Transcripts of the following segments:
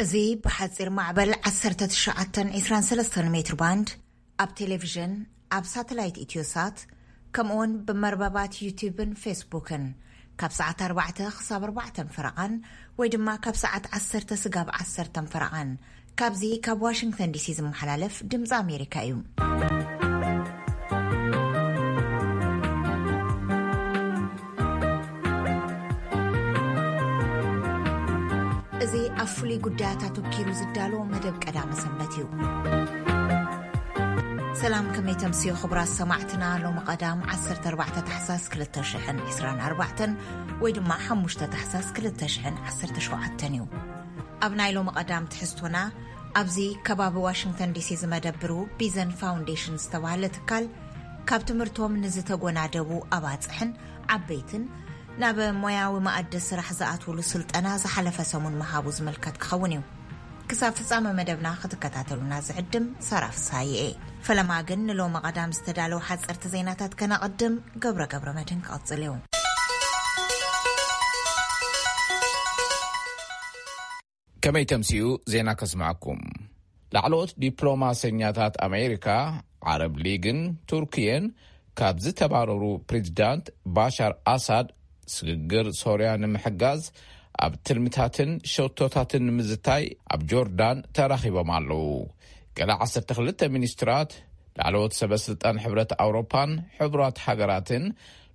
እዚ ብሓጺር ማዕበል ዓሰርተ ትሽዓተ ዒስራን ሰለስተን ሜትር ባንድ፣ ኣብ ቴሌቪዥን፣ ኣብ ሳተላይት ኢትዮሳት፣ ከምኡውን ብመርበባት ዩቲዩብን ፌስቡክን ካብ ሰዓት ኣርባዕተ ክሳብ ኣርባዕተን ፈረቓን፣ ወይ ድማ ካብ ሰዓት ዓሰርተ ስጋብ ዓሰርተን ፈረቓን፣ ካብዚ ካብ ዋሽንግተን ዲሲ ዝመሓላለፍ ድምፂ ኣሜሪካ እዩ። እዚ ኣብ ፍሉይ ጉዳያት ኣተኪሩ ዝዳሎ መደብ ቀዳመ ሰንበት እዩ። ሰላም፣ ከመይ ተምስዮ ክቡራት ሰማዕትና? ሎሚ ቀዳም ዓሰርተ ኣርባዕተ ታሕሳስ ክልተ ሽሕን ዕስራን ኣርባዕተን ወይ ድማ ሓሙሽተ ታሕሳስ ክልተ ሽሕን ዓሰርተ ሸውዓተን እዩ። ኣብ ናይ ሎሚ ቀዳም ትሕዝቶና፣ ኣብዚ ከባቢ ዋሽንግተን ዲሲ ዝመደብሩ ቢዘን ፋውንዴሽን ዝተባህለ ትካል፣ ካብ ትምህርቶም ንዝተጎናደቡ ኣባጽሕን ዓበይትን ናብ ሞያዊ መኣዲ ስራሕ ዝኣትውሉ ስልጠና ዝሓለፈ ሰሙን ምሃቡ ዝምልከት ክኸውን እዩ። ክሳብ ፍጻመ መደብና ክትከታተሉና ዝዕድም ሳራ ፍስሃየ እየ። ፈለማ ግን ንሎሚ ቀዳም ዝተዳለዉ ሓጸርቲ ዜናታት ከነቐድም፣ ገብረ ገብረ መድህን ክቐጽል እዩ። ከመይ ተምስዩ ዜና ከስምዓኩም። ላዕለዎት ዲፕሎማሰኛታት ኣሜሪካ፣ ዓረብ ሊግን ቱርክየን ካብ ዝተባረሩ ፕሬዚዳንት ባሻር ኣሳድ ስግግር ሶርያ ንምሕጋዝ ኣብ ትልምታትን ሸቶታትን ንምዝታይ ኣብ ጆርዳን ተራኺቦም ኣለዉ። ገለ ዓሰርተ ክልተ ሚኒስትራት፣ ላዕለዎት ሰበ ስልጣን ሕብረት ኣውሮፓን ሕቡራት ሃገራትን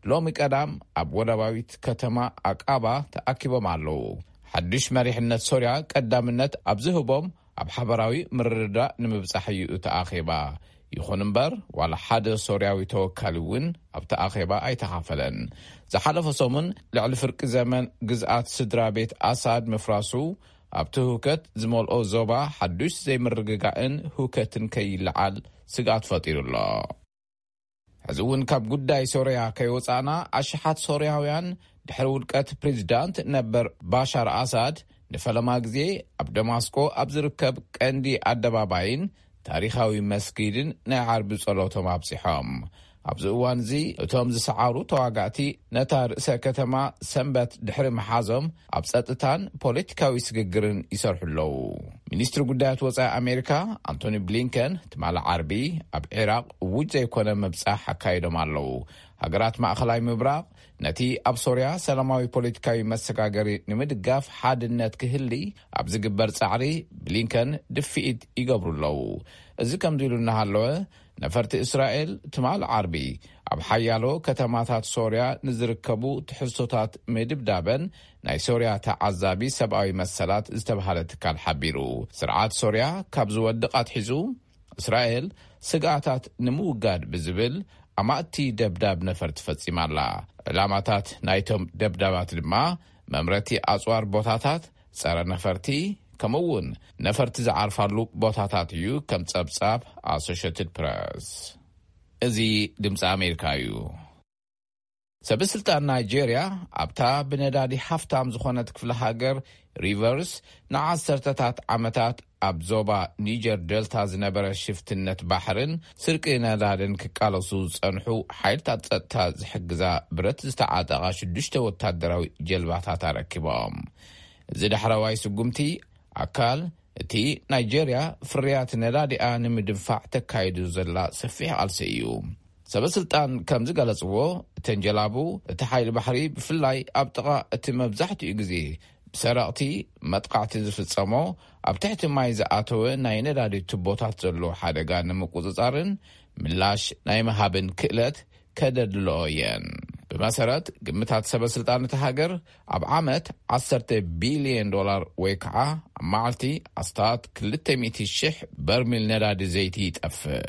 ሎሚ ቀዳም ኣብ ወደባዊት ከተማ ኣቃባ ተኣኪቦም ኣለዉ። ሓድሽ መሪሕነት ሶርያ ቀዳምነት ኣብ ዝህቦም ኣብ ሓበራዊ ምርድዳእ ንምብጻሕ እዩ እቲ ኣኼባ። ይኹን እምበር፣ ዋላ ሓደ ሶርያዊ ተወካሊ እውን ኣብቲ ኣኼባ ኣይተኻፈለን። ዝሓለፈ ሰሙን ልዕሊ ፍርቂ ዘመን ግዝኣት ስድራ ቤት ኣሳድ ምፍራሱ ኣብቲ ህውከት ዝመልኦ ዞባ ሓዱሽ ዘይምርግጋእን ህውከትን ከይለዓል ስግኣት ፈጢሩ ኣሎ። ሕዚ እውን ካብ ጉዳይ ሶርያ ከይወጻእና፣ ኣሽሓት ሶርያውያን ድሕሪ ውድቀት ፕሬዚዳንት ነበር ባሻር ኣሳድ ንፈለማ ግዜ ኣብ ደማስቆ ኣብ ዝርከብ ቀንዲ ኣደባባይን ታሪኻዊ መስጊድን ናይ ዓርቢ ጸሎቶም ኣብጺሖም። ኣብዚ እዋን እዚ እቶም ዝሰዓሩ ተዋጋእቲ ነታ ርእሰ ከተማ ሰንበት ድሕሪ ምሓዞም ኣብ ጸጥታን ፖለቲካዊ ስግግርን ይሰርሑ ኣለዉ። ሚኒስትሪ ጉዳያት ወጻኢ ኣሜሪካ ኣንቶኒ ብሊንከን ትማሊ ዓርቢ ኣብ ዒራቕ እዉጅ ዘይኮነ ምብጻሕ ኣካይዶም ኣለዉ። ሃገራት ማእኸላይ ምብራቕ ነቲ ኣብ ሶርያ ሰላማዊ ፖለቲካዊ መሰጋገሪ ንምድጋፍ ሓድነት ክህሊ ኣብ ዝግበር ጻዕሪ ብሊንከን ድፍኢት ይገብሩ ኣለዉ። እዚ ከምዚ ኢሉ እናሃለወ፣ ነፈርቲ እስራኤል ትማል ዓርቢ ኣብ ሓያሎ ከተማታት ሶርያ ንዝርከቡ ትሕዝቶታት ምድብዳበን ናይ ሶርያ ተዓዛቢ ሰብኣዊ መሰላት ዝተባህለ ትካል ሓቢሩ። ስርዓት ሶርያ ካብ ዝወድቕ ኣትሒዙ፣ እስራኤል ስግኣታት ንምውጋድ ብዝብል ኣማእቲ ደብዳብ ነፈርቲ ፈጺማ ኣላ። ዕላማታት ናይቶም ደብዳባት ድማ መምረቲ ኣጽዋር ቦታታት፣ ጸረ ነፈርቲ፣ ከምኡ እውን ነፈርቲ ዝዓርፋሉ ቦታታት እዩ፣ ከም ጸብጻብ ኣሶሽትድ ፕረስ። እዚ ድምፂ ኣሜሪካ እዩ። ሰበስልጣን ናይጄርያ ኣብታ ብነዳዲ ሃፍታም ዝኾነት ክፍለ ሃገር ሪቨርስ ንዓሰርተታት ዓመታት ኣብ ዞባ ኒጀር ደልታ ዝነበረ ሽፍትነት ባሕርን ስርቂ ነዳድን ክቃለሱ ዝጸንሑ ሓይልታት ጸጥታ ዝሕግዛ ብረት ዝተዓጠቓ ሽዱሽተ ወታደራዊ ጀልባታት ኣረኪቦም። እዚ ዳሕረዋይ ስጉምቲ ኣካል እቲ ናይጄርያ ፍርያት ነዳዲኣ ንምድንፋዕ ተካይዱ ዘላ ሰፊሕ ቃልሲ እዩ። ሰበስልጣን ከም ዝገለጽዎ፣ እተን ጀላቡ እቲ ሓይሊ ባሕሪ ብፍላይ ኣብ ጥቓ እቲ መብዛሕትኡ ግዜ ብሰረቕቲ መጥቃዕቲ ዝፍጸሞ ኣብ ትሕቲ ማይ ዝኣተወ ናይ ነዳዲ ቱቦታት ዘሎ ሓደጋ ንምቁጽጻርን ምላሽ ናይ ምሃብን ክእለት ከደድልኦ እየን። ብመሰረት ግምታት ሰበስልጣን እቲ ሃገር፣ ኣብ ዓመት ዓሰርተ ቢልዮን ዶላር ወይ ከዓ ኣብ መዓልቲ ኣስታት ክልተ ሚእቲ ሽሕ በርሚል ነዳዲ ዘይቲ ይጠፍእ።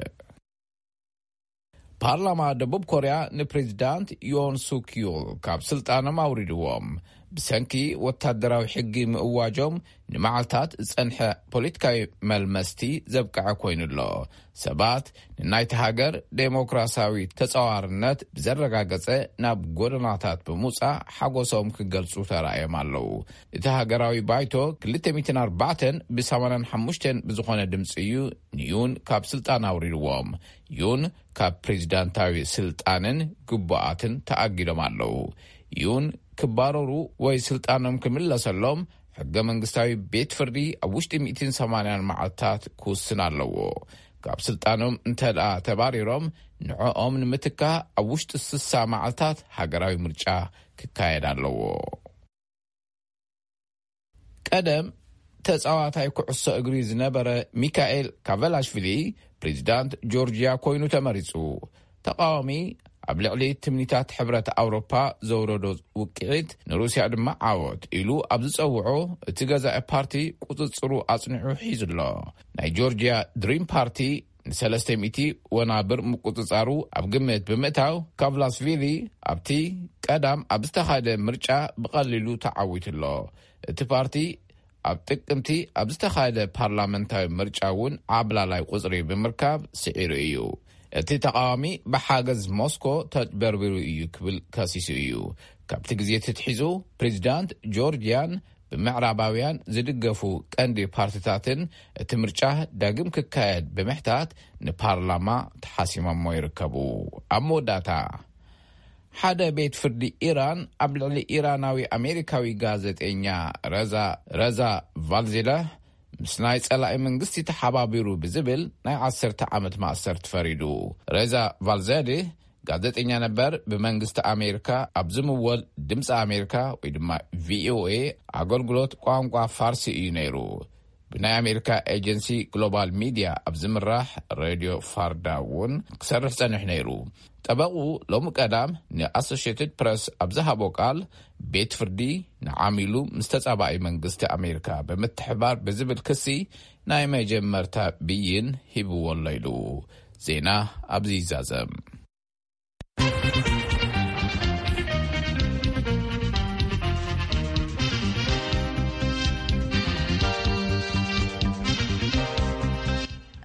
ፓርላማ ደቡብ ኮርያ ንፕሬዚዳንት ዮን ሱክ ዮል ካብ ስልጣኖም ኣውሪድዎም። ብሰንኪ ወታደራዊ ሕጊ ምእዋጆም ንመዓልታት ዝጸንሐ ፖለቲካዊ መልመስቲ ዘብቅዐ ኮይኑ ኣሎ። ሰባት ንናይቲ ሃገር ዴሞክራሲያዊ ተጻዋርነት ብዘረጋገጸ ናብ ጎደናታት ብምውጻእ ሓጎሶም ክገልጹ ተራእዮም ኣለዉ። እቲ ሃገራዊ ባይቶ ክልተ ሚእትን ኣርባዕተን ብ ሰማንያን ሓሙሽተን ብዝኾነ ድምጺ እዩ ንዩን ካብ ስልጣን ኣውሪድዎም። ዩን ካብ ፕሬዚዳንታዊ ስልጣንን ግቡኣትን ተኣጊዶም ኣለዉ። ዩን ክባረሩ ወይ ስልጣኖም ክምለሰሎም ሕገ መንግስታዊ ቤት ፍርዲ ኣብ ውሽጢ ሚእትን ሰማንያን መዓልታት ክውስን ኣለዎ። ካብ ስልጣኖም እንተ ደኣ ተባሪሮም፣ ንዕኦም ንምትካ ኣብ ውሽጢ ስሳ መዓልታት ሃገራዊ ምርጫ ክካየድ ኣለዎ። ቀደም ተጻዋታይ ኩዕሶ እግሪ ዝነበረ ሚካኤል ካቨላሽቪሊ ፕሬዚዳንት ጆርጂያ ኮይኑ ተመሪጹ። ተቃዋሚ ኣብ ልዕሊ ትምኒታት ሕብረት ኣውሮፓ ዘውረዶ ውቅዒት፣ ንሩስያ ድማ ዓወት ኢሉ ኣብ ዝጸውዖ እቲ ገዛኢ ፓርቲ ቁጽጽሩ ኣጽኒዑ ሒዙ ኣሎ። ናይ ጆርጂያ ድሪም ፓርቲ ንሰለስተ ሚእቲ ወናብር ምቁጽጻሩ ኣብ ግምት ብምእታው፣ ካቭላስቪሊ ኣብቲ ቀዳም ኣብ ዝተኻየደ ምርጫ ብቐሊሉ ተዓዊቱ ኣሎ። እቲ ፓርቲ ኣብ ጥቅምቲ ኣብ ዝተኻየደ ፓርላመንታዊ ምርጫ እውን ዓብላላይ ቁጽሪ ብምርካብ ስዒሩ እዩ። እቲ ተቃዋሚ ብሓገዝ ሞስኮ ተጭበርቢሩ እዩ ክብል ከሲሱ እዩ። ካብቲ ግዜ ትትሒዙ ፕሬዚዳንት ጆርጂያን ብምዕራባውያን ዝድገፉ ቀንዲ ፓርቲታትን እቲ ምርጫ ዳግም ክካየድ ብምሕታት ንፓርላማ ተሓሲሞሞ ይርከቡ። ኣብ መወዳእታ፣ ሓደ ቤት ፍርዲ ኢራን ኣብ ልዕሊ ኢራናዊ ኣሜሪካዊ ጋዜጠኛ ረዛ ረዛ ቫልዜላ ምስ ናይ ጸላኢ መንግስቲ ተሓባቢሩ ብዝብል ናይ ዓሰርተ ዓመት ማእሰርቲ ፈሪዱ። ረዛ ቫልዜሊ ጋዜጠኛ ነበር፣ ብመንግስቲ ኣሜሪካ ኣብ ዝምወል ድምፂ ኣሜሪካ ወይ ድማ ቪኦኤ ኣገልግሎት ቋንቋ ፋርሲ እዩ ነይሩ። ብናይ ኣሜሪካ ኤጀንሲ ግሎባል ሚድያ ኣብ ዝምራሕ ሬድዮ ፋርዳ እውን ክሰርሕ ጸኒሑ ነይሩ። ጠበቑ ሎሚ ቀዳም ንኣሶሽየትድ ፕረስ ኣብ ዝሃቦ ቃል፣ ቤት ፍርዲ ንዓሚሉ ምስ ተጻባኢ መንግስቲ ኣሜሪካ ብምትሕባር ብዝብል ክሲ ናይ መጀመርታ ብይን ሂብዎ ኣሎ ኢሉ። ዜና ኣብዚ ይዛዘም።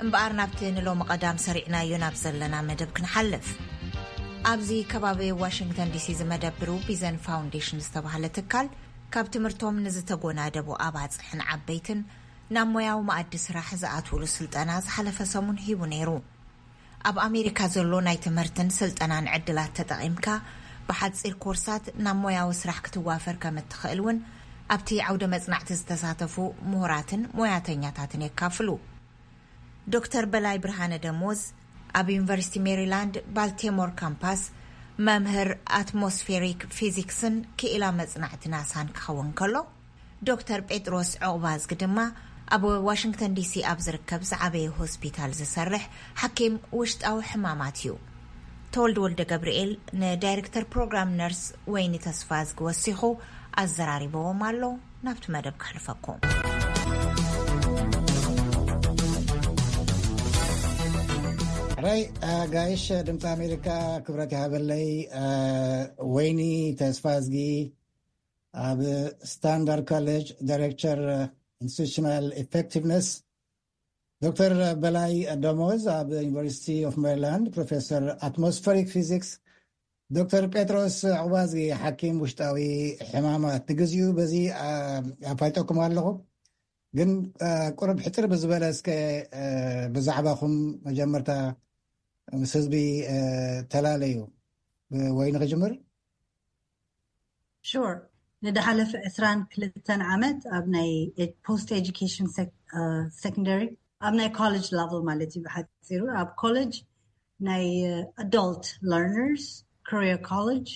እምበኣር ናብቲ ንሎሚ ቀዳም ሰሪዕናዮ ናብ ዘለና መደብ ክንሓልፍ። ኣብዚ ከባቢ ዋሽንግተን ዲሲ ዝመደብሩ ቢዘን ፋውንዴሽን ዝተባህለ ትካል፣ ካብ ትምህርቶም ንዝተጎናደቡ ኣባጽሕን ዓበይትን ናብ ሞያዊ መኣዲ ስራሕ ዝኣትውሉ ስልጠና ዝሓለፈ ሰሙን ሂቡ ነይሩ። ኣብ ኣሜሪካ ዘሎ ናይ ትምህርትን ስልጠናን ዕድላት ተጠቒምካ፣ ብሓጺር ኮርሳት ናብ ሞያዊ ስራሕ ክትዋፈር ከም እትኽእል እውን ኣብቲ ዓውደ መጽናዕቲ ዝተሳተፉ ምሁራትን ሞያተኛታትን የካፍሉ። ዶክተር በላይ ብርሃነ ደሞዝ፣ ኣብ ዩኒቨርሲቲ ሜሪላንድ ባልቴሞር ካምፓስ መምህር ኣትሞስፌሪክ ፊዚክስን ክኢላ መጽናዕቲ ናሳን ክኸውን ከሎ፣ ዶክተር ጴጥሮስ ዑቕባዝጊ ድማ ኣብ ዋሽንግተን ዲሲ ኣብ ዝርከብ ዝዓበየ ሆስፒታል ዝሰርሕ ሓኪም ውሽጣዊ ሕማማት እዩ። ተወልደ ወልደ ገብርኤል ንዳይሬክተር ፕሮግራም ነርስ ወይኒ ተስፋዝጊ ወሲኹ ኣዘራሪበዎም ኣሎ። ናብቲ መደብ ከሕልፈኩም። ሕራይ፣ ኣጋይሽ ድምፂ ኣሜሪካ ክብረት ይሃበለይ። ወይኒ ተስፋዝጊ ኣብ ስታንዳርድ ኮሌጅ ዳይሬክተር ኢንስቲቱሽናል ኢፌክቲቭነስ፣ ዶክተር በላይ ደሞዝ ኣብ ዩኒቨርሲቲ ኦፍ ሜሪላንድ ፕሮፌሰር ኣትሞስፈሪክ ፊዚክስ፣ ዶክተር ጴጥሮስ ዕቑባዝጊ ሓኪም ውሽጣዊ ሕማማት። ንግዚኡ በዚ ኣፋይጠኩም ኣለኹ። ግን ቁርብ ሕፅር ብዝበለ እስከ ብዛዕባኹም መጀመርታ ምስ ህዝቢ ተላለዩ። ወይ ንክጅምር? Sure. ንድሓለፈ ዕስራን ክልተን ዓመት ኣብ ናይ ፖስት ኤጁኬሽን ሴኮንደሪ፣ ኣብ ናይ ኮሌጅ ሌቨል ማለት እዩ ብሓፂሩ፣ ኣብ ኮሌጅ ናይ ኣዶልት ለርነርስ ኮሪያ ኮሌጅ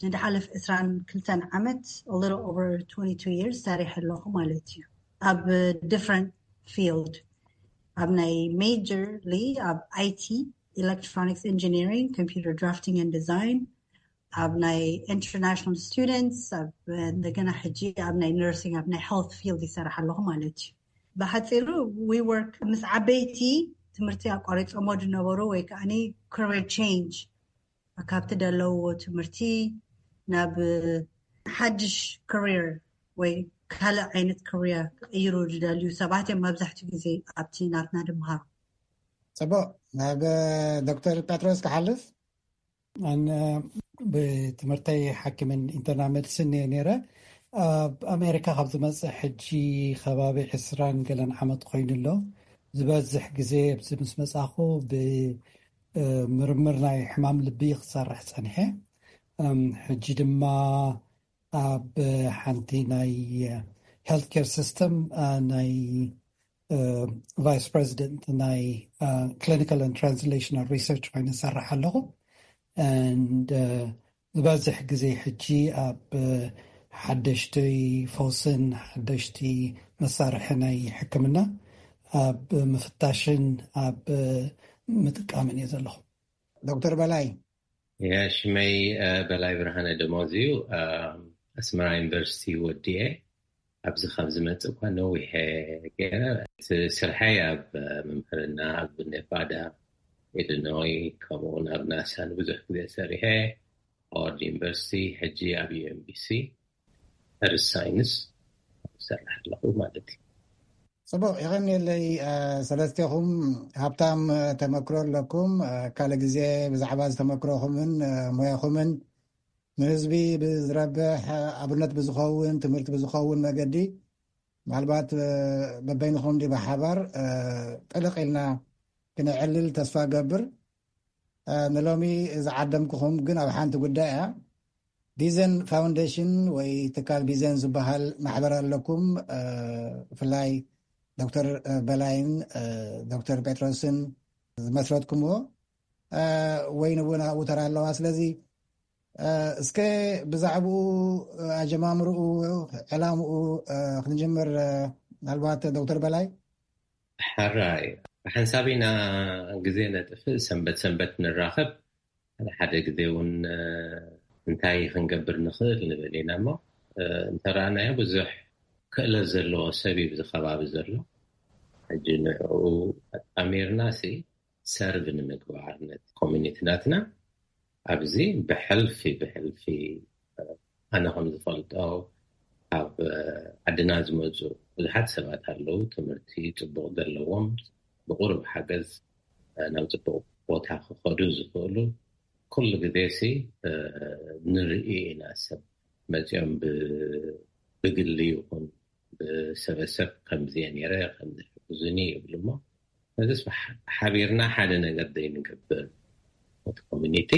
ንድሓለፈ ዕስራን ክልተን ዓመት፣ a little over twenty-two years ሰሪሐ ኣለኹ ማለት እዩ። ኣብ different field፣ ኣብ ናይ ሜጀርሊ ኣብ ኣይቲ፣ electronics engineering, computer drafting and design፣ ኣብ ናይ international students፣ ኣብ እንደገና ሕጂ ኣብ ናይ nursing፣ ኣብ ናይ health field ይሰርሕ ኣለኹ ማለት እዩ። ብሓፂሩ we work ምስ ዓበይቲ ትምህርቲ ኣቋሪፆሞ ዝነበሩ ወይ ከዓ career change፣ ካብቲ ዘለውዎ ትምህርቲ ናብ ሓድሽ career ወይ ካልእ ዓይነት career ክቕይሩ ዝደልዩ ሰባት እዮም መብዛሕትኡ ግዜ ኣብቲ ናትና ድምሃሮ። ፅቡቅ፣ ናብ ዶክተር ጴጥሮስ ክሓልፍ። ኣነ ብትምህርተይ ሓኪምን ኢንተርናል ሜዲሲን እየ ነይረ። ኣብ ኣሜሪካ ካብ ዝመፅእ ሕጂ ከባቢ ዕስራን ገለን ዓመት ኮይኑ ኣሎ። ዝበዝሕ ግዜ ኣብዚ ምስ መፃኹ ብምርምር ናይ ሕማም ልቢ ክሰርሕ ፀኒሐ። ሕጂ ድማ ኣብ ሓንቲ ናይ healthcare system ናይ vice president ናይ clinical and translational research ኮይኑ ይሰርሕ ኣለኹ። And ዝበዝሕ ግዜ ሕጂ ኣብ ሓደሽቲ ፈውስን ሓደሽቲ መሳርሒ ናይ ሕክምና ኣብ ምፍታሽን ኣብ ምጥቃምን እየ ዘለኹ። ዶክተር በላይ። ሽመይ በላይ ብርሃነ ደሞዝ እዩ። ኣስመራ ዩኒቨርሲቲ ወዲኤ ኣብዚ ካብ ዝመፅእ እኳ ነዊሐ ገይረ። ስርሐይ ኣብ ምምህርና ኣብ ኔቫዳ፣ ኢሊኖይ፣ ከምኡውን ኣብ ናሳ ንብዙሕ ግዜ ሰሪሐ። ሃዋርድ ዩኒቨርሲቲ፣ ሕጂ ኣብ ዩኤምቢሲ ርስ ሳይንስ ሰርሕ ኣለኹ ማለት እዩ። ፅቡቅ፣ የቐንየለይ። ሰለስቴኹም ሃብታም ተመክሮ ኣለኩም። ካልእ ግዜ ብዛዕባ ዝተመክሮኹምን ሞያኹምን ንህዝቢ ብዝረብሕ፣ ኣብነት ብዝኸውን፣ ትምህርቲ ብዝኸውን መገዲ ምናልባት በበይንኹም ዲ ብሓባር ጥልቕ ኢልና ክነዕልል ተስፋ ገብር። ንሎሚ ዝዓደምኩኹም ግን ኣብ ሓንቲ ጉዳይ እያ። ቢዘን ፋውንዴሽን ወይ ትካል ቢዘን ዝበሃል ማሕበር ኣለኩም። ብፍላይ ዶክተር በላይን ዶክተር ጴጥሮስን ዝመስረትኩምዎ ወይ ንውን ኣብኡ ተራ ኣለዋ። ስለዚ እስከ ብዛዕባኡ ኣጀማምርኡ ዕላምኡ ክንጅምር። ምናልባት ዶክተር በላይ። ሕራይ፣ ብሓንሳብ ኢና ግዜ ነጥፍእ፣ ሰንበት ሰንበት ንራኸብ፣ ሓደ ሓደ ግዜ እውን እንታይ ክንገብር ንኽእል ንብል ኢና እሞ እንተረኣናዮ ብዙሕ ክእለት ዘለዎ ሰብ እዩ ብዚ ከባቢ ዘሎ። ሕጂ ንዕኡ ኣጣሚርና ሲ ሰርቭ ንምግባር ነቲ ኮሚኒቲ ናትና ኣብዚ ብሕልፊ ብሕልፊ ኣነ ከም ዝፈልጦ ካብ ዓድና ዝመፁ ብዙሓት ሰባት ኣለዉ። ትምህርቲ ፅቡቕ ዘለዎም፣ ብቁሩብ ሓገዝ ናብ ፅቡቕ ቦታ ክኸዱ ዝኽእሉ። ኩሉ ግዜ ሲ ንርኢ ኢና፣ ሰብ መፂኦም ብግሊ ይኹን ብሰበሰብ ከምዚ ነይረ ከምዚ ሕግዙኒ ይብሉ እሞ ነዚስ ሓቢርና ሓደ ነገር ዘይንገብር፣ እቲ ኮሚኒቲ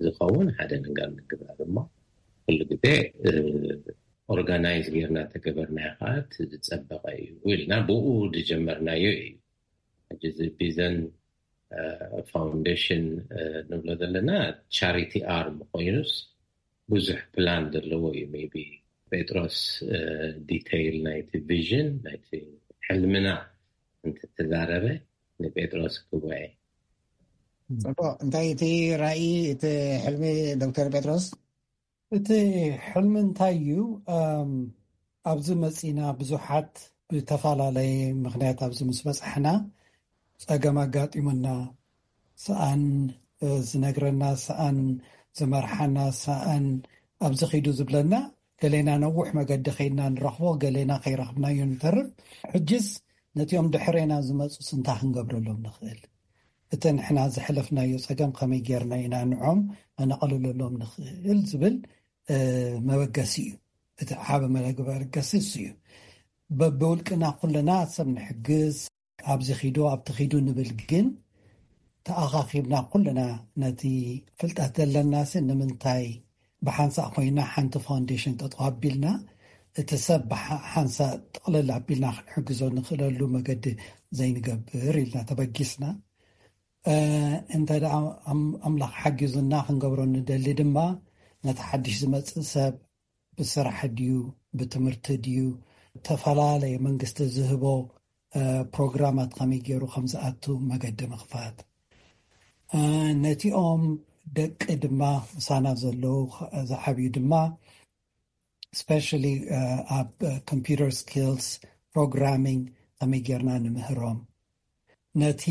ዝኸውን ሓደ ነገር ንግበር እሞ ኩሉ ግዜ ኦርጋናይዝ ጌርና ተገበርናዮ ከዓ እቲ ዝፀበቐ እዩ ኢልና ብኡ ዝጀመርናዮ እዩ። ሕጂ እዚ ቢዘን ፋውንዴሽን ንብሎ ዘለና ቻሪቲ ኣርም ኮይኑስ ብዙሕ ፕላን ዘለዎ እዩ። ሜቢ ጴጥሮስ ዲቴይል ናይቲ ቪዥን ናይቲ ሕልምና እንተተዛረበ ንጴጥሮስ ክወየ። ፅቡቅ፣ እንታይ እቲ ራእይ እቲ ሕልሚ ዶክተር ጴጥሮስ? እቲ ሕልሚ እንታይ እዩ? ኣብዚ መፂና ብዙሓት ብተፈላለየ ምክንያት ኣብዚ ምስ በፃሕና ፀገም ኣጋጢሙና፣ ሰኣን ዝነግረና፣ ሰኣን ዝመርሓና፣ ሰኣን ኣብዚ ኺዱ ዝብለና፣ ገሌና ነዊሕ መገዲ ከይድና ንረኽቦ፣ ገሌና ከይረኽብናዮ ንተርፍ። ሕጅስ ነቲኦም ድሕሬና ዝመፁስ እንታይ ክንገብረሎም ንኽእል? እቲ ንሕና ዘሕለፍናዮ ፀገም ከመይ ጌርና ኢና ንዖም ኣነቐልለሎም ንኽእል ዝብል መበገሲ እዩ። እቲ ዓብ መበገሲ እሱ እዩ። በብውልቅና ኩልና ሰብ ንሕግዝ፣ ኣብዚ ኺዱ ኣብቲ ኺዱ ንብል፣ ግን ተኣኻኺብና ኩልና ነቲ ፍልጠት ዘለናሲ ንምንታይ ብሓንሳእ ኮይና ሓንቲ ፋውንዴሽን ጠጠው ኣቢልና እቲ ሰብ ብሓንሳእ ጥቕልል ኣቢልና ክንሕግዞ ንኽእለሉ መገዲ ዘይንገብር ኢልና ተበጊስና። እንተ ደኣ ኣምላኽ ሓጊዙና ክንገብሮ ንደሊ ድማ ነቲ ሓድሽ ዝመጽእ ሰብ ብስራሕ ድዩ ብትምህርቲ ድዩ ዝተፈላለየ መንግስቲ ዝህቦ ፕሮግራማት ከመይ ገይሩ ከም ዝኣቱ መገዲ ምኽፋት፣ ነቲኦም ደቂ ድማ ምሳና ዘለዉ ዝዓብዩ ድማ ስፔሻሊ ኣብ ኮምፒውተር ስኪልስ ፕሮግራሚንግ ከመይ ጌርና ንምህሮም፣ ነቲ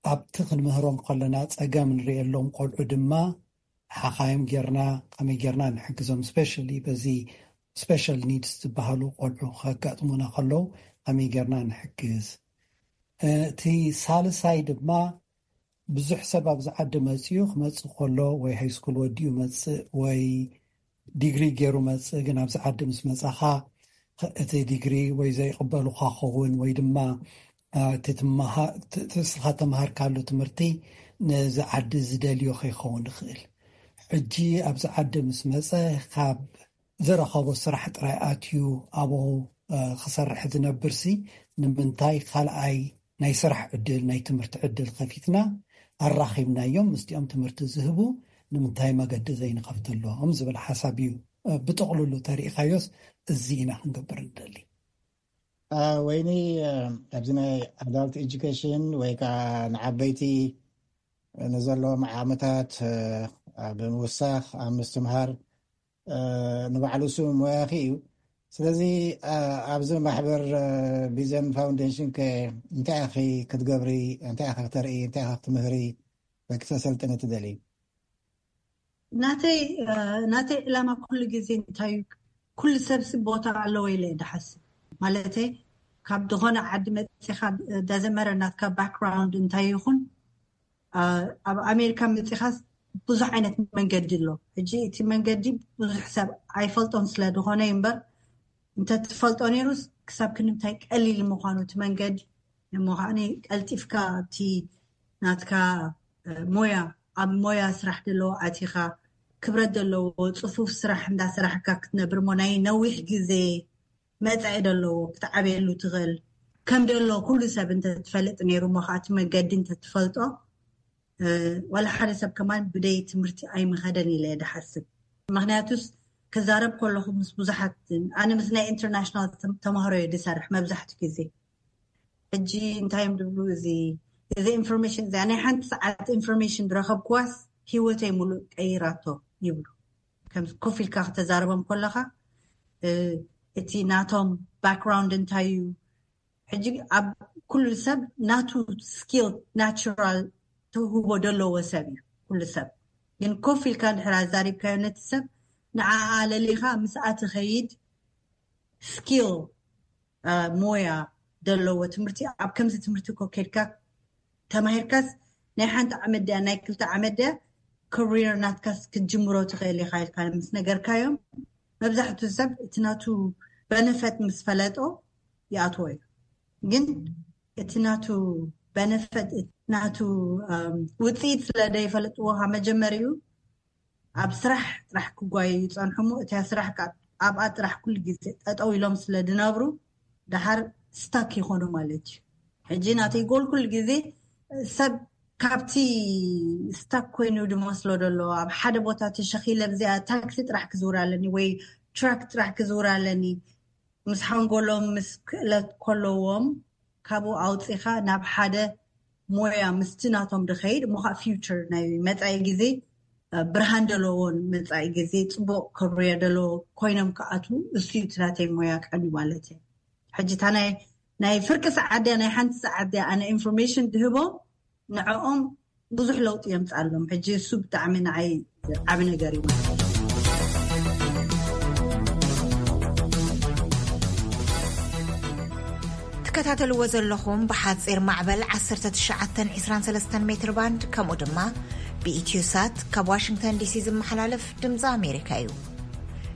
ኣብቲ ክንምህሮም ከለና ጸገም ንርእየሎም ቆልዑ ድማ ሓኻይም ጌርና ከመይ ጌርና ንሕግዞም፣ ስፔሻሊ በዚ ስፔሻል ኒድስ ዝበሃሉ ቆልዑ ከጋጥሙና ከለዉ ከመይ ጌርና ንሕግዝ። እቲ ሳልሳይ ድማ ብዙሕ ሰብ ኣብዚ ዓዲ መፅኡ ክመፅእ ከሎ ወይ ሃይስኩል ወዲኡ መፅእ ወይ ዲግሪ ገይሩ መፅእ፣ ግን ኣብዚ ዓዲ ምስ መፃኻ እቲ ዲግሪ ወይ ዘይቕበሉኻ ኸውን ወይ ድማ እቲ እስኻ ተምሃርካሉ ትምህርቲ ነዚ ዓዲ ዝደልዮ ከይኸውን ይኽእል። ሕጂ ኣብዚ ዓዲ ምስ መፀ ካብ ዝረኸቦ ስራሕ ጥራይ ኣትዩ ኣብኡ ክሰርሕ ዝነብርሲ፣ ንምንታይ ካልኣይ ናይ ስራሕ ዕድል፣ ናይ ትምህርቲ ዕድል ከፊትና ኣራኺብናዮም? ምስቲኦም ትምህርቲ ዝህቡ ንምንታይ መገዲ ዘይንኸፍተሎም ዝብል ሓሳብ እዩ። ብጥቕልሉ ተሪኢኻዮስ፣ እዚ ኢና ክንገብር ንደሊ። ወይኒ፣ ኣብዚ ናይ ኣዳልት ኤጁኬሽን ወይ ከዓ ንዓበይቲ ንዘለዎም ዓመታት ኣብ ምውሳኽ፣ ኣብ ምስትምሃር ንባዕሉ ስሙ ሞያኺ እዩ። ስለዚ ኣብዚ ማሕበር ቢዘን ፋውንዴሽን ከ እንታይ ኢኺ ክትገብሪ፣ እንታይ ኢኺ ክተርኢ፣ እንታይ ኢኺ ክትምህሪ ወይ ክተሰልጥኒ ትደሊ? ናተይ ናተይ ዕላማ ኩሉ ግዜ እንታይ እዩ? ኩሉ ሰብሲ ቦታ ኣለዎ ኢለ እየ ዝሓስብ። ማለተይ ካብ ዝኾነ ዓዲ መፂኻ፣ ዳዘመረ ናትካ ባክግራውንድ እንታይ ይኹን፣ ኣብ ኣሜሪካ መፂኻስ ብዙሕ ዓይነት መንገዲ ኣሎ። ሕጂ እቲ መንገዲ ብዙሕ ሰብ ኣይፈልጦን ስለ ዝኾነ እምበር፣ እንተትፈልጦ ነይሩስ ክሳብ ክንምታይ ቀሊል ምዃኑ እቲ መንገዲ፣ እሞ ከዓኒ ቀልጢፍካ ኣብቲ ናትካ ሞያ፣ ኣብ ሞያ ስራሕ ዘለዎ ኣቲኻ፣ ክብረት ዘለዎ ፅፉፍ ስራሕ እንዳሰራሕካ ክትነብር እሞ ናይ ነዊሕ ግዜ መፃኢ ዘለዎ ክትዓብየሉ ትኽእል። ከም ደሎ ኩሉ ሰብ እንተትፈልጥ ነይሩ እሞ ከዓ እቲ መገዲ እንተትፈልጦ፣ ዋላ ሓደ ሰብ ከማን ብደይ ትምህርቲ ኣይምኸደን ኢለ እየ ድሓስብ። ምክንያቱስ ክዛረብ ከለኹ ምስ ብዙሓት፣ ኣነ ምስ ናይ ኢንተርናሽናል ተማሃሮ እየ ድሰርሕ መብዛሕትኡ ግዜ። ሕጂ እንታይ እዮም ድብሉ፣ እዚ እዚ ኢንፎርሜሽን እዚ ናይ ሓንቲ ሰዓት ኢንፎርሜሽን ድረኸብኩዋስ ህይወተይ ሙሉእ ቀይራቶ ይብሉ። ከም ኮፍ ኢልካ ክተዛረቦም ከለኻ እቲ ናቶም ባክግራውንድ እንታይ እዩ፣ ሕጂ ኣብ ኩሉ ሰብ ናቱ ስኪል ናቹራል ተውህቦ ደለዎ ሰብ እዩ ኩሉ ሰብ። ግን ኮፍ ኢልካ እንድሕር ኣዛሪብካዮ ነቲ ሰብ ንዓኣ ለሊኻ ምስኣ ትኸይድ ስኪል ሞያ ደለዎ ትምህርቲ ኣብ ከምዚ ትምህርቲ ኮ ከድካ ተማሂርካስ ናይ ሓንቲ ዓመት ድያ ናይ ክልተ ዓመት ድያ ኮሪር ናትካስ ክትጅምሮ ትኽእል ኢኻ ኢልካ ምስ ነገርካዮም መብዛሕቱ ሰብ እቲ ናቱ በነፈት ምስ ፈለጦ ይኣትዎ እዩ። ግን እቲ ናቱ በነፈት ናቱ ውፅኢት ስለ ዘይፈለጥዎ ካብ መጀመሪኡ ኣብ ስራሕ ጥራሕ ክጓዩ ይፀንሑ እሞ እታ ስራሕ ኣብኣ ጥራሕ ኩሉ ግዜ ጠጠው ኢሎም ስለ ዝነብሩ ደሓር ስታክ ይኾኑ ማለት እዩ። ሕጂ ናተይ ጎል ኩሉ ግዜ ሰብ ካብቲ ስታክ ኮይኑ ዝመስሎ ዘሎ ኣብ ሓደ ቦታ ተሸኺለ ብዚኣ ታክሲ ጥራሕ ክዝውር ኣለኒ ወይ ትራክ ጥራሕ ክዝውር ኣለኒ ምስ ሓንጎሎም ምስ ክእለት ከለዎም ካብኡ ኣውፂኻ ናብ ሓደ ሞያ ምስቲ ናቶም ድኸይድ እሞ ከዓ ፊውቸር ናይ መፃኢ ግዜ ብርሃን ደለዎን መፃኢ ግዜ ፅቡቅ ከብርዮ ደለዎ ኮይኖም ክኣትዉ እሱ እዩ እቲ ናተይ ሞያ ቀኒ ማለት እዩ። ሕጂ እታ ናይ ናይ ፍርቂ ሰዓት ድያ ናይ ሓንቲ ሰዓት ድያ ኣነ ኢንፎርሜሽን ድህቦም ንዕኦም ብዙሕ ለውጢ የምፅኣሎም። ሕጂ እሱ ብጣዕሚ ንዓይ ዓብ ነገር እዩ። ትከታተልዎ ዘለኹም ብሓፂር ማዕበል ዓሰርተ ትሽዓተ ዕስራን ሰለስተን ሜትር ባንድ ከምኡ ድማ ብኢትዮ ሳት ካብ ዋሽንግተን ዲሲ ዝመሓላለፍ ድምፂ ኣሜሪካ እዩ።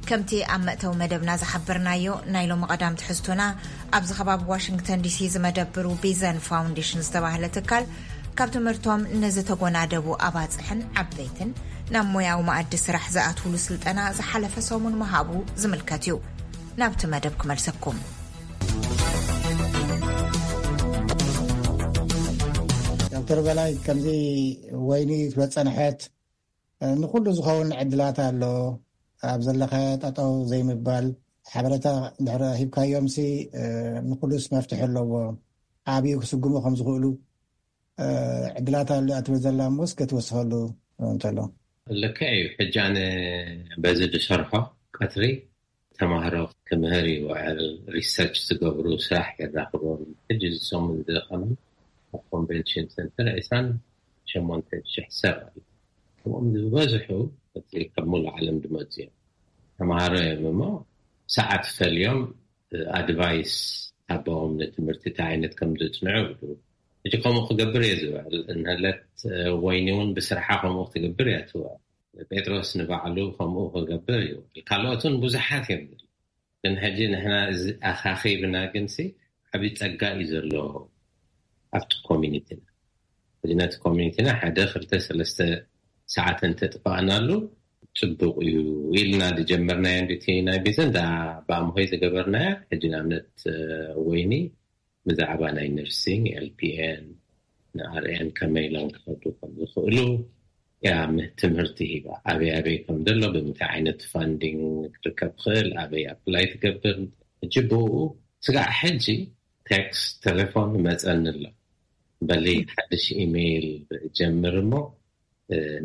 ከምቲ ኣብ መእተዊ መደብና ዝሓበርናዮ ናይ ሎሚ ቀዳም ትሕዝቶና ኣብዚ ከባቢ ዋሽንግተን ዲሲ ዝመደብሩ ቢዘን ፋውንዴሽን ዝተባህለ ትካል ካብ ትምህርቶም ንዝተጎናደቡ ኣባፅሕን ዓበይትን ናብ ሞያዊ መኣዲ ስራሕ ዝኣትውሉ ስልጠና ዝሓለፈ ሰሙን ምሃቡ ዝምልከት እዩ። ናብቲ መደብ ክመልሰኩም። ዶክተር በላይ ከምዚ ወይኒ ዝበፀንሐት ንኩሉ ዝኸውን ዕድላት ኣሎ። ኣብ ዘለኸ ጠጠው ዘይምባል ሓበሬታ ድሕረ ሂብካዮም ሲ ንኩሉስ መፍትሒ ኣለዎ። ዓብዩ ክስጉሙ ከም ዝኽእሉ ዕድላት ኣሎ ኣትብል ዘላ እሞ እስከ ትወስኸሉ እንተሎ። ልክዕ እዩ። ሕጂ ኣነ በዚ ዝሰርሖ ቀትሪ ተማሃሮ ክምህር ይውዕል፣ ሪሰርች ዝገብሩ ስራሕ የራኽቦም። ሕጂ ዝሰሙ ዝደኸመ ኣብ ኮንቨንሽን ሰንተር ዕስራን ሸሞንተን ሽሕ ሰብ ኣሎ። ከምኦም ዝበዝሑ እቲ ካብ ሙሉእ ዓለም ዝመፁ እዮም። ተምሃሮ እዮም እሞ ሰዓት ፈልዮም ኣድቫይስ ሃቦም ንትምህርቲ እንታይ ዓይነት ከም ዘፅንዑ ይብሉ። ሕጂ ከምኡ ክገብር እየ ዝውዕል። እንህለት ወይኒ እውን ብስርሓ ከምኡ ክትገብር እያ ትውዕል። ጴጥሮስ ንባዕሉ ከምኡ ክገብር ይውዕል። ካልኦት እውን ብዙሓት እዮም። ግን ሕጂ ንሕና እዚ ኣኻኺብና ግንሲ ዓብዪ ፀጋ እዩ ዘሎ ኣብቲ ኮሚኒቲና። ሕጂ ነቲ ኮሚኒቲና ሓደ ክልተ ሰለስተ ሰዓት እንተጥፋእናሉ ጽቡቕ እዩ ኢልና ዝጀመርናዮ፣ እንድቲ ናይ ቢዝን ዳ ባምሆይ ዝገበርናዮ። ሕጂ ንኣብነት ወይኒ ብዛዕባ ናይ ነርሲንግ፣ ኤልፒኤን፣ ንኣርኤን ከመይ ኢሎም ክኸዱ ከም ዝኽእሉ እያ ትምህርቲ ሂባ። ኣበይ ኣበይ ከም ዘሎ፣ ብምንታይ ዓይነት ፋንዲንግ ክርከብ ክእል፣ ኣበይ ኣፕላይ ትገብር። ሕጂ ብኡ ስጋዕ ሕጂ ቴክስት፣ ቴሌፎን ይመጸኒ ኣሎ። በሊ ሓድሽ ኢሜይል ጀምር እሞ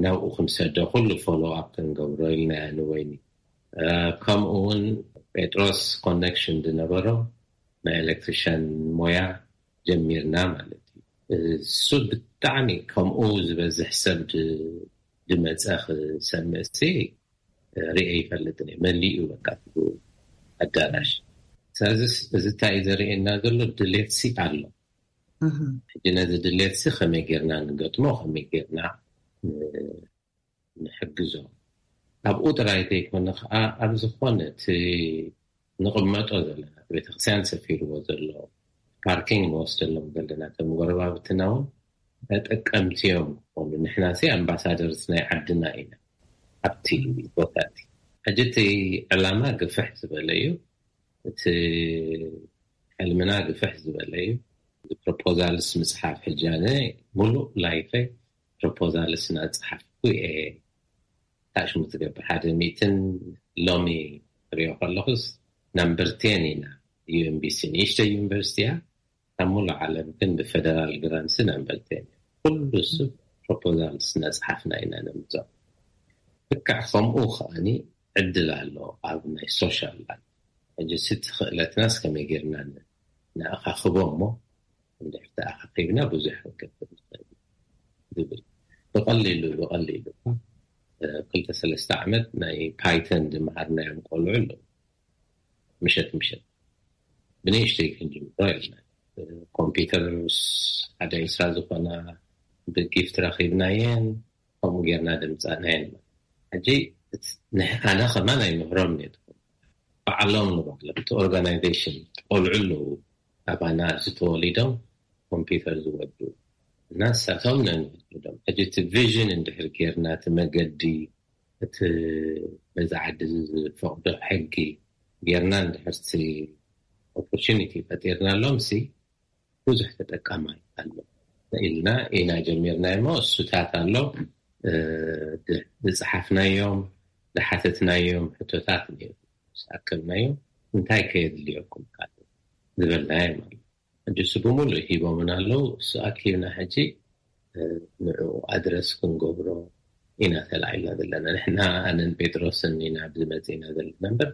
ናብኡ ክንሰዶ፣ ኩሉ ፎሎ ኣፕ ክንገብሮ ኢልና ንወይኒ። ከምኡ እውን ጴጥሮስ ኮኔክሽን ዝነበሮ ናይ ኤሌክትሪሽን ሞያ ጀሚርና ማለት እዩ። እሱ ብጣዕሚ ከምኡ ዝበዝሕ ሰብ ዝመፀ ክሰምዕ ሲ ርኤ ይፈልጥን እየ። መሊኡ በቃ ኣዳራሽ። ስለዚ እዚ እንታይ እዩ ዘርእየና ዘሎ? ድሌት ሲ ኣሎ። ሕጂ ነዚ ድሌት ሲ ከመይ ጌርና ንገጥሞ፣ ከመይ ጌርና ንሕግዞ? ኣብኡ ጥራይ ዘይኮነ ከዓ ኣብ ዝኾነ እቲ ንቕመጦ ዘለና ቤተክርስትያን ሰፊርዎ ዘሎ ፓርኪንግ ንወስደሎም ዘለና እቶም ጎረባብትና እውን ተጠቀምቲ እዮም ክኾኑ። ንሕና ሲ ኣምባሳደርስ ናይ ዓድና ኢና ኣብቲ ቦታ እቲ። ሕጂ እቲ ዕላማ ግፍሕ ዝበለ እዩ። እቲ ሕልምና ግፍሕ ዝበለ እዩ። ፕሮፖዛልስ ምፅሓፍ፣ ሕጂ ኣነ ሙሉእ ላይፈይ ፕሮፖዛልስ እናፀሓፍኩ እየ። ታሽሙ ትገብር ሓደ ሚእትን ሎሚ ሪኦ ከለኹስ ናምበር ቴን ኢና። ዩኤምቢሲ ንእሽተይ ዩኒቨርሲቲ እያ። ኣብ ሙሉእ ዓለም ግን ብፌደራል ግራንትስ ናምበር ቴን እያ። ኩሉ ሰብ ፕሮፖዛልስ እናፀሓፍና ኢና ነምፅኦ። ልክዕ ከምኡ ከዓኒ ዕድል ኣሎ ኣብ ናይ ሶሻል ላይፍ። ሕጂ እቲ ክእለትናስ ከመይ ጌርና ን-፣ ንኣኻኽቦ እሞ እንድሕር ተኣኻኺብና ብዙሕ ክንገብር ንኽእል ዝብል ብቐሊሉ፣ ብቐሊሉ እኳ፣ እ፣ ክልተ ሰለስተ ዓመት ናይ ፓይተን ዝመሃርናዮም ቆልዑ ኣለዉ። ምሸት ምሸት ብንእሽተይ ክንጅምሮ ኢልና፣ እ፣ ኮምፒውተርስ ሓደ ዕስራ ዝኾና ብጊፍት ረኺብናየን፣ ከምኡ ጌርና ድምፃናየን። ሕጂ እቲ ንሕ-፣ ኣነ ከማን ኣይምህሮም ነትኩም፣ ባዕሎም ንባዕሎም እቲ ኦርጋናይዜሽን ቆልዑ ኣለዉ ኣባና ኣብዚ ተወሊዶም ኮምፒውተር ዝወዱ እና ንሳቶም ነንህድም። ሕጂ እቲ ቪዥን እንድሕር ጌርና እቲ መገዲ እቲ በዛ ዓዲ ዝፈቕዶ ሕጊ ጌርና እንድሕር እቲ ኦፖርቹኒቲ ፈጢርናሎም ሲ ብዙሕ ተጠቃማይ ኣሎ ኢልና ኢና ጀሚርና እሞ እሱታት ኣሎ፣ እ፣ ድ-፣ ዝፀሓፍናዮም፣ ዝሓተትናዮም ሕቶታት ነይሩ። ምስ ኣከብናዮም እንታይ ከየድልየኩም ካለ ዝበልናዮም ኣሎ። ሕጂ እሱ ብምሉእ ሂቦምን ኣለዉ። እሱ ኣኪብና ሕጂ፣ እ፣ ንዕኡ ኣድረስ ክንገብሮ ኢና ተላዒልና ዘለና። ንሕና ኣነን ጴጥሮስን ኢና ኣብዚ መፂእና ዘለና እምበር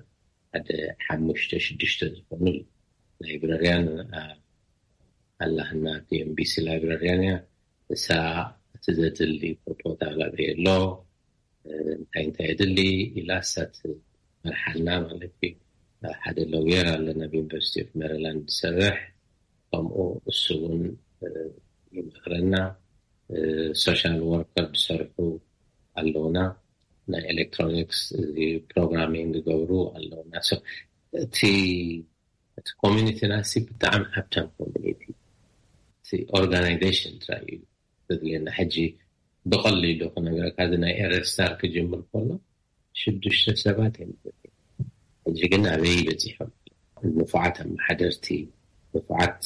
ሓደ ሓሙሽተ ሽዱሽተ ዝኾኑ ላይብረርያን፣ ኣ-፣ ኣላህና ቲ ኤም ቢ ሲ ላይብረርያን እያ። እሳ እቲ ዘድሊ ፕሮፖዛል ኣበይ ኣሎ፣ እ፣ እንታይ እንታይ የድሊ ኢላ እሳ ትመርሓልና ማለት እዩ። ሓደ ሎየር ኣለና ኣብ ዩኒቨርሲቲ ኦፍ ሜሪላንድ ዝሰርሕ፣ ከምኡ እሱ እውን፣ እ፣ ይመኽረና። እ፣ ሶሻል ወርከር ዝሰርሑ ኣለውና፣ ናይ ኤሌክትሮኒክስ እዚ ፕሮግራሚንግ ዝገብሩ ኣለውና። ሶ፣ እቲ፣ እቲ ኮሚኒቲና ሲ ብጣዕሚ ሃብታም ኮሚኒቲ፣ እቲ ኦርጋናይዜሽን ጥራይ እዩ ዘድልየና። ሕጂ ብቐሊሉ ክነግረካ፣ እዚ ናይ ኤረስታር ክጅምር ከሎ ሽዱሽተ ሰባት እዮም። ሕጂ ግን ኣበይ በፂሖም? ንፉዓት ኣመሓደርቲ፣ ንፉዓት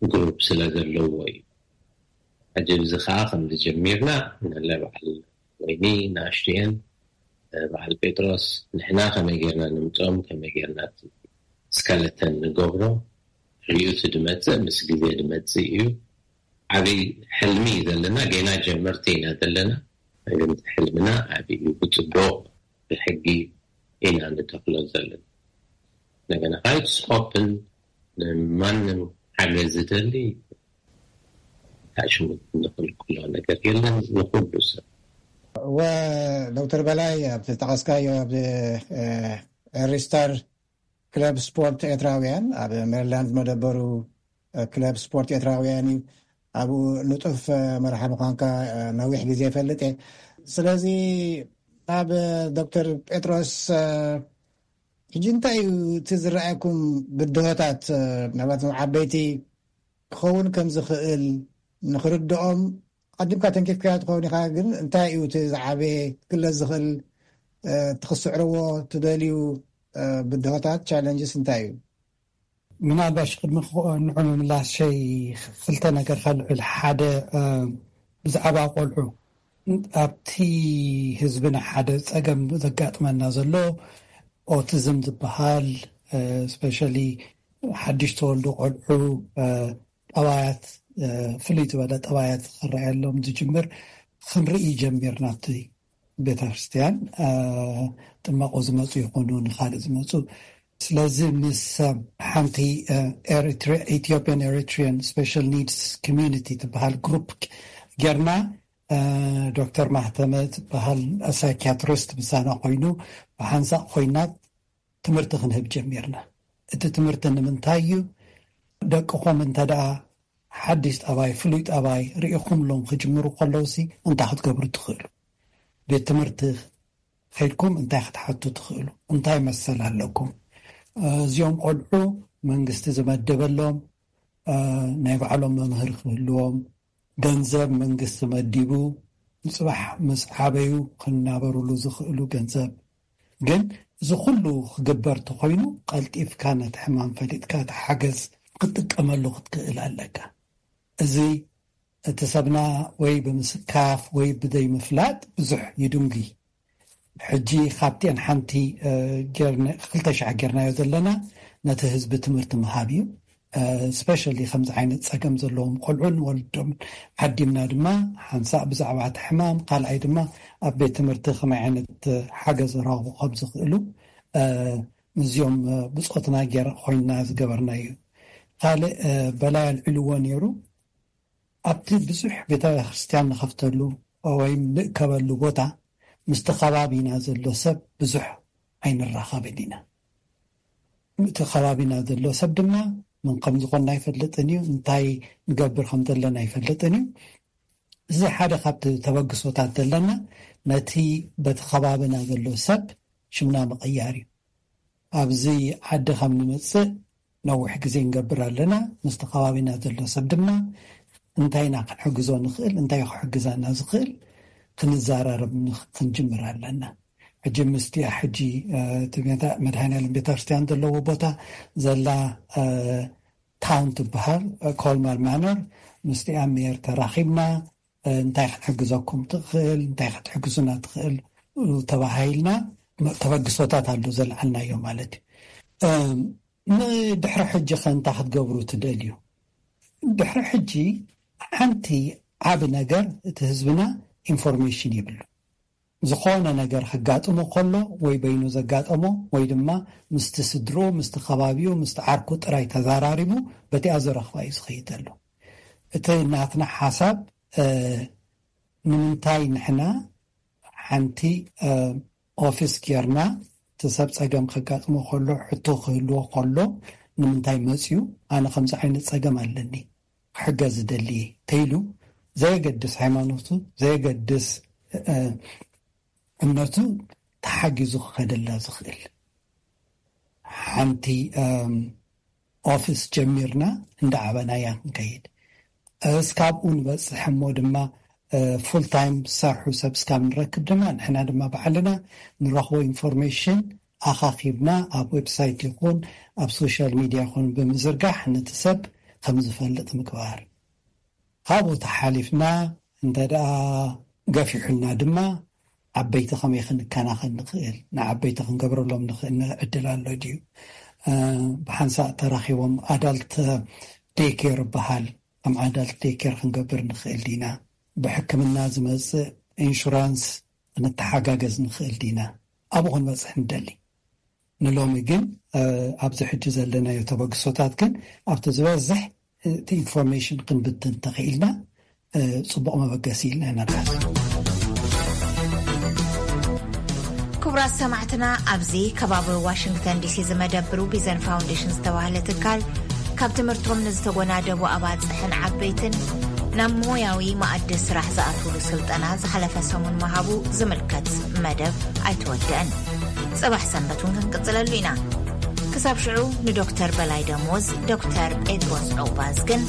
ግሩፕ ስለ ዘለዎ እዩ። ሕጂ እዚ ከዓ ከም ዝጀሚርና፣ ንለ በዓል ወይኒ ንኣሽቱየን፣ በዓል ጴጥሮስ፣ ንሕና ከመይ ጌርና ንምፅኦም፣ ከመይ ጌርና እቲ ስከለተን ንገብሮ፣ ሪኡ እቲ ድመፅእ ምስ ግዜ ድመፅእ እዩ። ዓብይ ሕልሚ እዩ ዘለና፣ ገና ጀመርቲ ኢና ዘለና። ግን እቲ ሕልምና ዓብይ እዩ፣ ብፅቡቕ ብሕጊ ኢና ንተኽሎ ዘለና። እንደገና ከዓ it's open፣ ንማንም ሓገዝ ዝደሊ ታሽሙ ንኽልክሎ ነገር የለን፣ ንኹሉ ሰብ። ወ-፣ ዶክተር በላይ፣ ኣብ ዝጠቐስካዮ፣ ኣብ፣ እ፣ ኤሪስታር ክለብ ስፖርት ኤርትራውያን፣ ኣብ ሜሪላንድ መደበሩ፣ እ፣ ክለብ ስፖርት ኤርትራውያን እዩ። ኣብኡ ንጡፍ፣ እ፣ መርሓ ምዃንካ፣ እ፣ ነዊሕ ግዜ ይፈልጥ እየ። ስለዚ፣ ኣብ፣ እ፣ ዶክተር ጴጥሮስ፣ እ፣ ሕጂ እንታይ እዩ እቲ ዝረኣየኩም ብድሆታት፣ እ፣ ምናልባት ዓበይቲ ክኸውን ከም ዝኽእል ንኽርድኦም ኣቐዲምካ ተንኪፍካዮ ትኸውን ኢኻ፣ ግን እንታይ እዩ እቲ ዝዓበየ ክግለጽ ዝኽእል፣ ትኽስዕርዎ ትደልዩ ብድሆታት፣ ቻለንጅስ እንታይ እዩ? ምናልባሽ ቅድሚ ንዑ ምምላስ ሸይ ክልተ ነገር ከልዕል። ሓደ ብዛዕባ ቆልዑ ኣብቲ ህዝብና ሓደ ጸገም ዘጋጥመና ዘሎ ኦቲዝም ዝበሃል፣ ስፔሻሊ ሓድሽ ተወልዱ ቆልዑ ጠባያት፣ ፍልይ ዝበለ ጠባያት ክረኣየሎም ዝጅምር ክንርኢ ጀሚርና። ኣብቲ ቤተ ክርስቲያን ጥመቆ ዝመፁ ይኾኑ፣ ንካልእ ዝመፁ። ስለዚ ምስ ሓንቲ ኢትዮጵያን ኤሪትሪያን ስፔሻል ኒድስ ኮሚኒቲ ትበሃል ግሩፕ ጌርና፣ ዶክተር ማህተመ ዝበሃል ሳይኪያትሪስት ምሳና ኮይኑ፣ ብሓንሳእ ኮይና ትምህርቲ ክንህብ ጀሚርና። እቲ ትምህርቲ ንምንታይ እዩ? ደቅኹም እንተ ደኣ ሓድሽ ጠባይ፣ ፍሉይ ጠባይ ርኢኹምሎም ክጅምሩ ከለውሲ እንታይ ክትገብሩ ትኽእሉ? ቤት ትምህርቲ ከይድኩም እንታይ ክትሓቱ ትኽእሉ? እንታይ መሰል ኣለኩም? እዚኦም ቆልዑ መንግስቲ ዝመደበሎም ናይ ባዕሎም መምህር ክህልዎም፣ ገንዘብ መንግስቲ መዲቡ፣ ንጽባሕ ምስ ዓበዩ ክናበሩሉ ዝኽእሉ ገንዘብ። ግን እዚ ኩሉ ክግበር ተኾይኑ፣ ቀልጢፍካ ነቲ ሕማም ፈሊጥካ እቲ ሓገዝ ክትጥቀመሉ ክትክእል ኣለካ። እዚ እቲ ሰብና ወይ ብምስካፍ ወይ ብዘይምፍላጥ ብዙሕ ይድንጉ። ሕጂ ካብቲአን ሓንቲ ክልተ ሻዕ ጌርናዮ ዘለና ነቲ ህዝቢ ትምህርቲ ምሃብ እዩ። ስፔሻሊ ከምዚ ዓይነት ጸገም ዘለዎም ቆልዑን ወልዶም ዓዲምና ድማ ሓንሳእ ብዛዕባ እቲ ሕማም፣ ካልኣይ ድማ ኣብ ቤት ትምህርቲ ከመይ ዓይነት ሓገዝ ረኽቡ ከም ዝኽእሉ፣ ምስዚኦም ብጾትና ኮይንና ዝገበርናዩ። ካልእ በላይ ኣልዒልዎ ነይሩ። ኣብቲ ብዙሕ ቤተ ክርስቲያን ንኸፍተሉ ወይም ንእከበሉ ቦታ ምስቲ ከባቢና ዘሎ ሰብ ብዙሕ ኣይንራኸብን ኢና። እቲ ከባቢና ዘሎ ሰብ ድማ ምን ከም ዝኾንና ኣይፈልጥን እዩ፣ እንታይ ንገብር ከም ዘለና ኣይፈልጥን እዩ። እዚ ሓደ ካብቲ ተበግሶታት ዘለና ነቲ በቲ ከባቢና ዘሎ ሰብ ሽምና ምቕያር እዩ። ኣብዚ ዓዲ ከም ንምጽእ ነዊሕ ግዜ ንገብር ኣለና። ምስቲ ከባቢና ዘሎ ሰብ ድማ እንታይ ኢና ክንሕግዞ ንኽእል፣ እንታይ ክሕግዛና ዝኽእል ክንዘራረብ ክንጅምር ኣለና። ሕጂ ምስቲያ ሕጂ እቲ መድሃኒኣለም ቤተክርስትያን ዘለዎ ቦታ ዘላ ታውን ትበሃል፣ ኮልማር ማነር፣ ምስቲኣ ሜየር ተራኺብና እንታይ ክትሕግዘኩም ትኽእል፣ እንታይ ክትሕግዙና ትኽእል ተባሂልና ተበግሶታት ኣሎ ዘልዓልናዮ ማለት እዩ። ንድሕሪ ሕጂ ከ እንታይ ክትገብሩ ትደልዩ? ድሕሪ ሕጂ ሓንቲ ዓቢ ነገር እቲ ህዝብና ኢንፎርሜሽን ይብሉ። ዝኾነ ነገር ክጋጥሞ ከሎ ወይ በይኑ ዘጋጠሞ ወይ ድማ ምስቲ ስድርኡ፣ ምስቲ ከባቢኡ፣ ምስቲ ዓርኩ ጥራይ ተዛራሪቡ በቲኣ ዘረኽባ እዩ ዝኸይድ ዘሎ። እቲ ናትና ሓሳብ ንምንታይ ንሕና ሓንቲ ኦፊስ ጌርና እቲ ሰብ ጸገም ከጋጥሞ ከሎ ሕቶ ክህልዎ ከሎ ንምንታይ መጽዩ ኣነ ከምዚ ዓይነት ጸገም ኣለኒ ክሕገዝ ዝደሊ ተይሉ ዘየገድስ ሃይማኖቱ ዘየገድስ እምነቱ ተሓጊዙ ክኸደላ ዝኽእል ሓንቲ ኦፊስ ጀሚርና እንዳ ዓበናያ ክንከይድ እስካብኡ ንበጽሕ እሞ ድማ ፉል ታይም ዝሰርሑ ሰብ እስካብ ንረክብ ድማ ንሕና ድማ ባዕልና ንረኽቦ ኢንፎርሜሽን ኣኻኺብና ኣብ ዌብሳይት ይኹን ኣብ ሶሻል ሚድያ ይኹን ብምዝርጋሕ ነቲ ሰብ ከም ዝፈልጥ ምግባር። ካብኡ ተሓሊፍና እንተ ደኣ ገፊሑልና ድማ ዓበይቲ ከመይ ክንከናኸን ንኽእል ንዓበይቲ ክንገብረሎም ንኽእል ዕድል ኣሎ ድዩ? ብሓንሳእ ተራኺቦም ኣዳልት ዴይኬር ይበሃል ከም ኣዳልት ዴይኬር ክንገብር ንኽእል ዲና? ብሕክምና ዝመጽእ ኢንሹራንስ ክንተሓጋገዝ ንኽእል ዲና? ኣብኡ ክንበጽሕ ንደሊ። ንሎሚ ግን ኣብዚ ሕጂ ዘለናዮ ተበግሶታት ግን ኣብቲ ዝበዝሕ እቲ ኢንፎርሜሽን ክንብትን ተኽኢልና ጽቡቕ መበገሲ ኢልና ኢና ንሓስብ። ክቡራት ሰማዕትና፣ ኣብዚ ከባቢ ዋሽንግተን ዲሲ ዝመደብሩ ቢዘን ፋውንዴሽን ዝተባህለ ትካል ካብ ትምህርቶም ንዝተጎናደቡ ኣባጽሕን ዓበይትን ናብ ሞያዊ መኣዲ ስራሕ ዝኣትውሉ ስልጠና ዝሓለፈ ሰሙን ምሃቡ ዝምልከት መደብ ኣይተወደአን። ጽባሕ ሰንበት እውን ክንቅጽለሉ ኢና። ክሳብ ሽዑ ንዶክተር በላይ ደሞዝ፣ ዶክተር ጴጥሮስ ዑቕባዝግን